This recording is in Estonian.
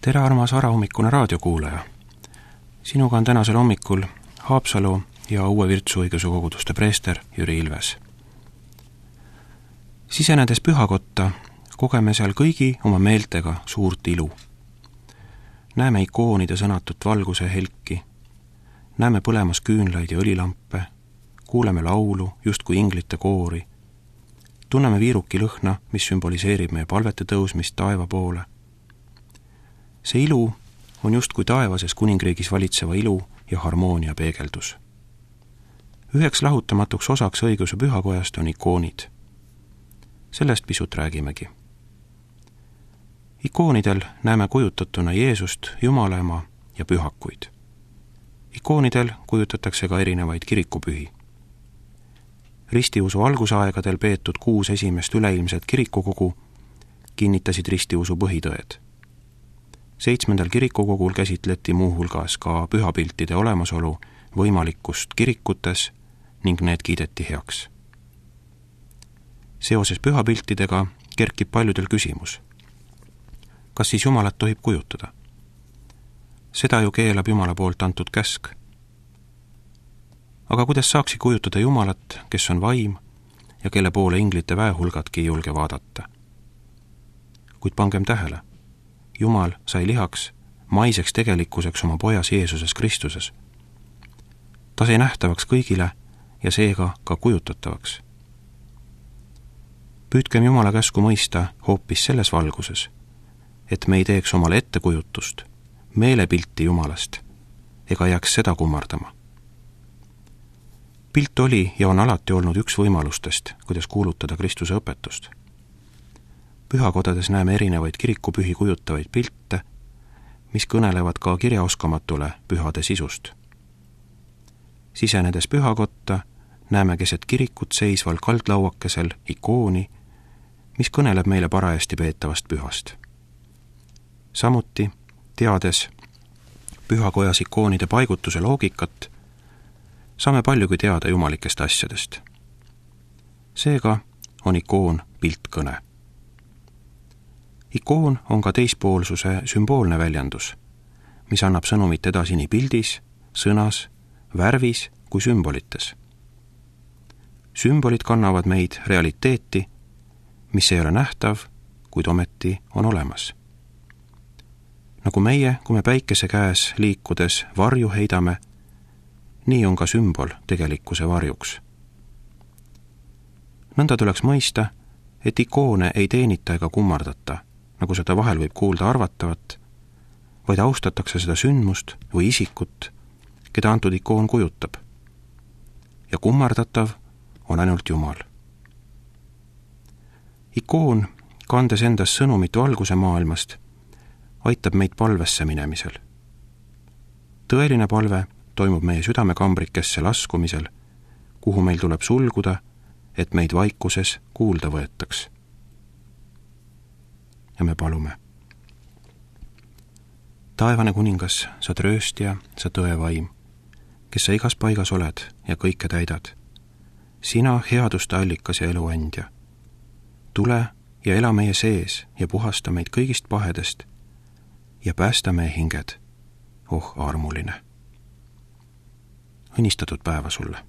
Tere, armas varahommikune raadiokuulaja! Sinuga on tänasel hommikul Haapsalu ja Uue Virtsu õigeusu koguduste preester Jüri Ilves. Sisenedes pühakotta kogeme seal kõigi oma meeltega suurt ilu. Näeme ikoonide sõnatut valguse helki, näeme põlemas küünlaid ja õlilampe, kuuleme laulu justkui inglite koori, tunneme viiruki lõhna, mis sümboliseerib meie palvete tõusmist taeva poole. See ilu on justkui taevases kuningriigis valitseva ilu ja harmoonia peegeldus. Üheks lahutamatuks osaks õigeusu pühakojast on ikoonid. Sellest pisut räägimegi. Ikoonidel näeme kujutatuna Jeesust, Jumala ema ja pühakuid. Ikoonidel kujutatakse ka erinevaid kirikupühi. Ristiusu algusaegadel peetud 6 esimest üleilmset kirikukogu kinnitasid ristiusu põhitõed. 7. kirikukogul käsitleti muuhulgas ka pühapiltide olemasolu võimalikkust kirikutes ning need kiideti heaks. Seoses pühapiltidega kerkib paljudel küsimus. Kas siis Jumalat tohib kujutada? Seda ju keelab Jumala poolt antud käsk. Aga kuidas saaksi kujutada Jumalat, kes on vaim ja kelle poole inglite väehulgadki ei julge vaadata? Kuid pangem tähele, Jumal sai lihaks maiseks tegelikkuseks oma pojas Jeesuses Kristuses. Ta sai nähtavaks kõigile ja seega ka kujutatavaks. Püüdkem Jumala käsku mõista hoopis selles valguses, et me ei teeks omale ettekujutust, meelepilti Jumalast ega jääks seda kummardama. Pilt oli ja on alati olnud üks võimalustest, kuidas kuulutada Kristuse õpetust. Pühakodades näeme erinevaid kirikupühi kujutavaid pilte, mis kõnelevad ka kirjaoskamatule pühade sisust. Sisenedes pühakotta näeme keset kirikut seisval kaldlauakesel ikooni, mis kõneleb meile parajasti peetavast pühast. Samuti, teades pühakojas ikoonide paigutuse loogikat, saame paljugi teada jumalikest asjadest. Seega on ikoon piltkõne. Ikoon on ka teispoolsuse sümboolne väljendus, mis annab sõnumit edasi nii pildis, sõnas, värvis kui sümbolites. Sümbolid kannavad meid realiteeti, mis ei ole nähtav, kuid ometi on olemas. Nagu meie, kui me päikese käes liikudes varju heidame, nii on ka sümbol tegelikkuse varjuks. Nõnda tuleks mõista, et ikoone ei teenita ega kummardata, nagu seda vahel võib kuulda arvatavat, vaid austatakse seda sündmust või isikut, keda antud ikoon kujutab. Ja kummardatav on ainult Jumal. Ikoon, kandes endas sõnumit valguse maailmast, aitab meid palvesse minemisel. Tõeline palve toimub meie südamekambrikesse laskumisel, kuhu meil tuleb sulguda, et meid vaikuses kuulda võetaks. Ja me palume. Taevane kuningas, sa trööstja, sa tõevaim, kes sa igas paigas oled ja kõike täidad. Sina headuste allikas ja eluandja. Tule ja ela meie sees ja puhasta meid kõigist pahedest ja päästa meie hinged, armuline. Õnnistatud päeva sulle!